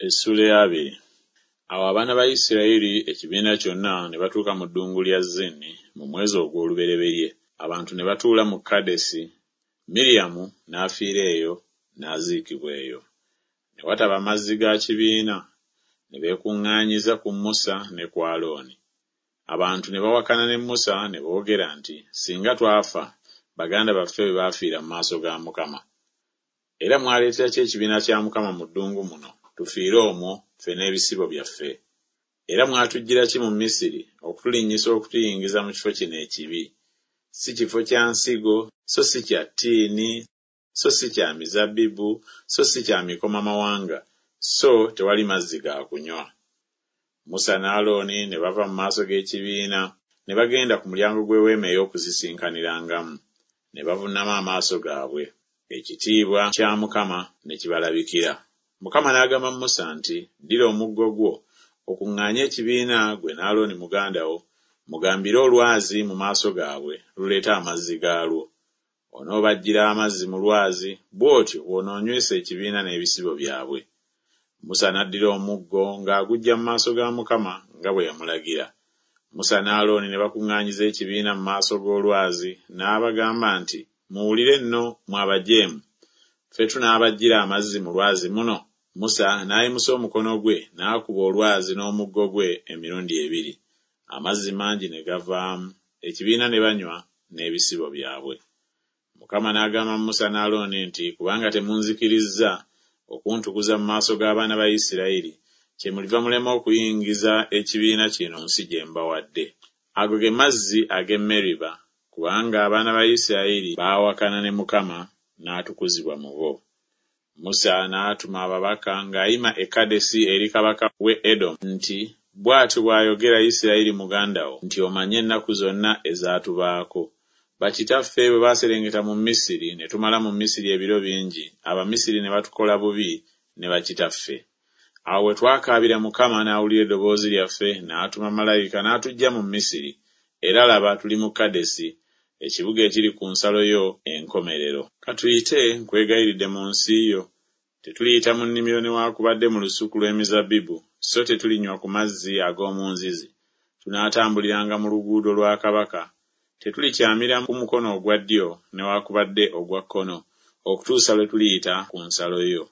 Essuula ey'abiri. Awo abaana ba Isirayiri, ekibiina kyonna, ne batuuka mu ddungu lya Zini mu mwezi ogw'olubereberye, abantu ne batuula mu Kadesi, Miryamu n'afiira eyo, n'aziikibwa eyo. Ne wataba mazzi ga kibiina, ne beekuŋŋaanyiza ku Musa ne ku Alooni. Abantu ne bawakana ne Musa ne boogera nti, Singa twafa, baganda baffe bwe baafiira mu maaso ga Mukama! Era mwaleetera ki ekibiina kya Mukama mu ddungu muno, tufiire omwo, ffe n'ebisibo byaffe? Era mwatuggyira ki mu Misiri okutulinnyisa okutuyingiza mu kifo kino ekibi? Si kifo kya nsigo, so si kya ttiini, so si kya mizabbibu, so si kya mikomamawanga, so tewali mazzi ga kunywa. Musa ne Alooni ne bava mu maaso g'ekibiina, ne bagenda ku mulyango gw'eweema ey'okusisinkanirangamu, ne bavuunama amaaso gaabwe. Ekitiibwa kya Mukama ne kibalabikira. Mukama n'agamba Musa nti, Ddira omuggo gwo, okuŋŋaanye ekibiina, ggwe ne Alooni muganda wo, mugambire olwazi mu maaso gaabwe, luleete amazzi gaalwo. Onoobaggyira amazzi mu lwazi, bw'otyo bw'onoonywesa ekibiina n'ebisibo byabwe. Musa n'addira omuggo ng'aguggya mu maaso ga Mukama nga bwe yamulagira. Musa ne Alooni ne bakuŋŋaanyiza ekibiina mu maaso g'olwazi, n'abagamba nti, Muwulire nno, mmwe abajeemu, ffe tunaabaggyira amazzi mu lwazi muno? Musa n'ayimusa omukono gwe n'akuba olwazi n'omuggo gwe emirundi ebiri, amazzi mangi ne gavaamu, ekibiina ne banywa n'ebisibo byabwe. Mukama n'agamba Musa ne Alooni nti, Kubanga temunzikirizza okuntukuza mu maaso g'abaana ba Isirayiri, kyemuliva mulema okuyingiza ekibiina kino mu nsi gye mbawadde. Ago ge mazzi ag'e Meriba, kubanga abaana ba Isirayiri baawakana ne Mukama, n'atukuzibwa mu bo. Musa n'atuma ababaka ng'ayima e Kadesi eri kabaka w'e Edomu nti, Bw'atyo bw'ayogera Isirayiri muganda wo nti Omanye ennaku zonna ezaatubaako. Bakitaffe bwe baaserengeta mu Misiri, ne tumala mu Misiri ebiro bingi, Abamisiri ne batukola bubi ne bakitaffe. Awo bwe twakaabira Mukama, n'awulira eddoboozi lyaffe, n'atuma malayika n'atuggya mu Misiri, era laba, tuli mu Kadesi, ekibuga ekiri ku nsalo yo enkomerero. Ka tuyite, nkwegayiridde, mu nsi yo. Tetuliyita mu nnimiro newaakubadde mu lusuku lw'emizabbibu, so tetulinywa ku mazzi ag'omu nzizi. Tunaatambuliranga mu luguudo lwa kabaka. Tetulikyamira ku mukono ogwa ddyo newaakubadde ogwa kkono, okutuusa lwe tuliyita ku nsalo yo.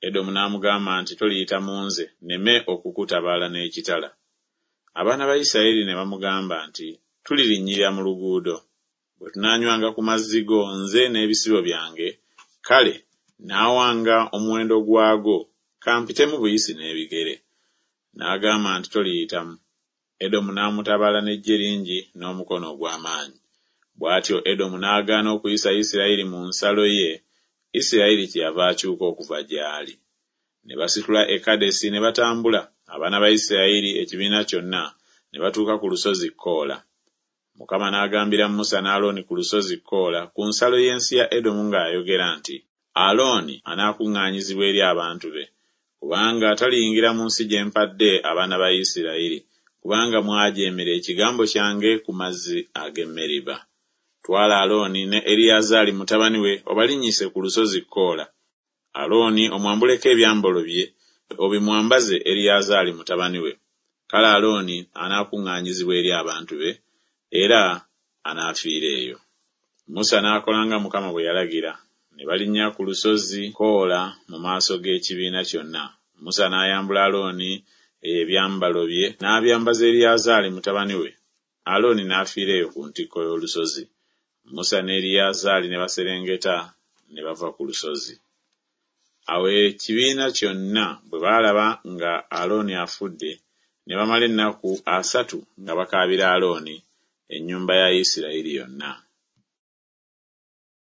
Edomu n'amugamba nti, Toliyita mu nze, nneme okukutabaala n'ekitala. Abaana ba Isirayiri ne bamugamba nti, Tulirinnyirira mu luguudo. Bwe tunaanywanga ku mazzi go nze n'ebisibo byange, kale nnaawanga omuwendo gwago, ka mpitemu buyisi n'ebigere. N'agamba nti, Toliyitamu. Edomu n'amutabaala n'eggye lingi n'omukono ogw'amaanyi. Bw'atyo Edomu n'agaana okuyisa Isirayiri mu nsalo ye, Isirayiri kyeyava akyuka okuva gy'ali. Ne basitula e Kadesi ne batambula, abaana ba Isirayiri, ekibiina kyonna, ne batuuka ku lusozi Koola. Mukama n'agambira Musa ne Alooni ku lusozi Koola ku nsalo y'ensi ya Edomu ng'ayogera nti, Alooni anaakuŋŋaanyizibwa eri abantu be, kubanga taliyingira mu nsi gye mpadde abaana ba Isirayiri, kubanga mwajeemera ekigambo kyange ku mazzi ag'e Meriba. Twala Alooni ne Eriyazaali mutabani we obalinnyise ku lusozi Koola. Alooni omwambuleko ebyambalo bye, obimwambaze Eriyazaali mutabani we. Kale Alooni anaakuŋŋaanyizibwa eri abantu be, era anaafiira eyo. Musa n'akola nga Mukama bwe yalagira, ne balinnya ku lusozi Koola mu maaso g'ekibiina kyonna. Musa n'ayambula Alooni ebyambalo bye, n'abyambaza Eriyazaali mutabani we. Alooni n'afiira eyo ku ntikko y'olusozi. Musa ne Eriyazaali ne baserengeta ne bava ku lusozi. Awo ekibiina kyonna bwe baalaba nga Alooni afudde, ne bamala ennaku asatu nga bakaabira Alooni, ennyumba ya Isirayiri yonna.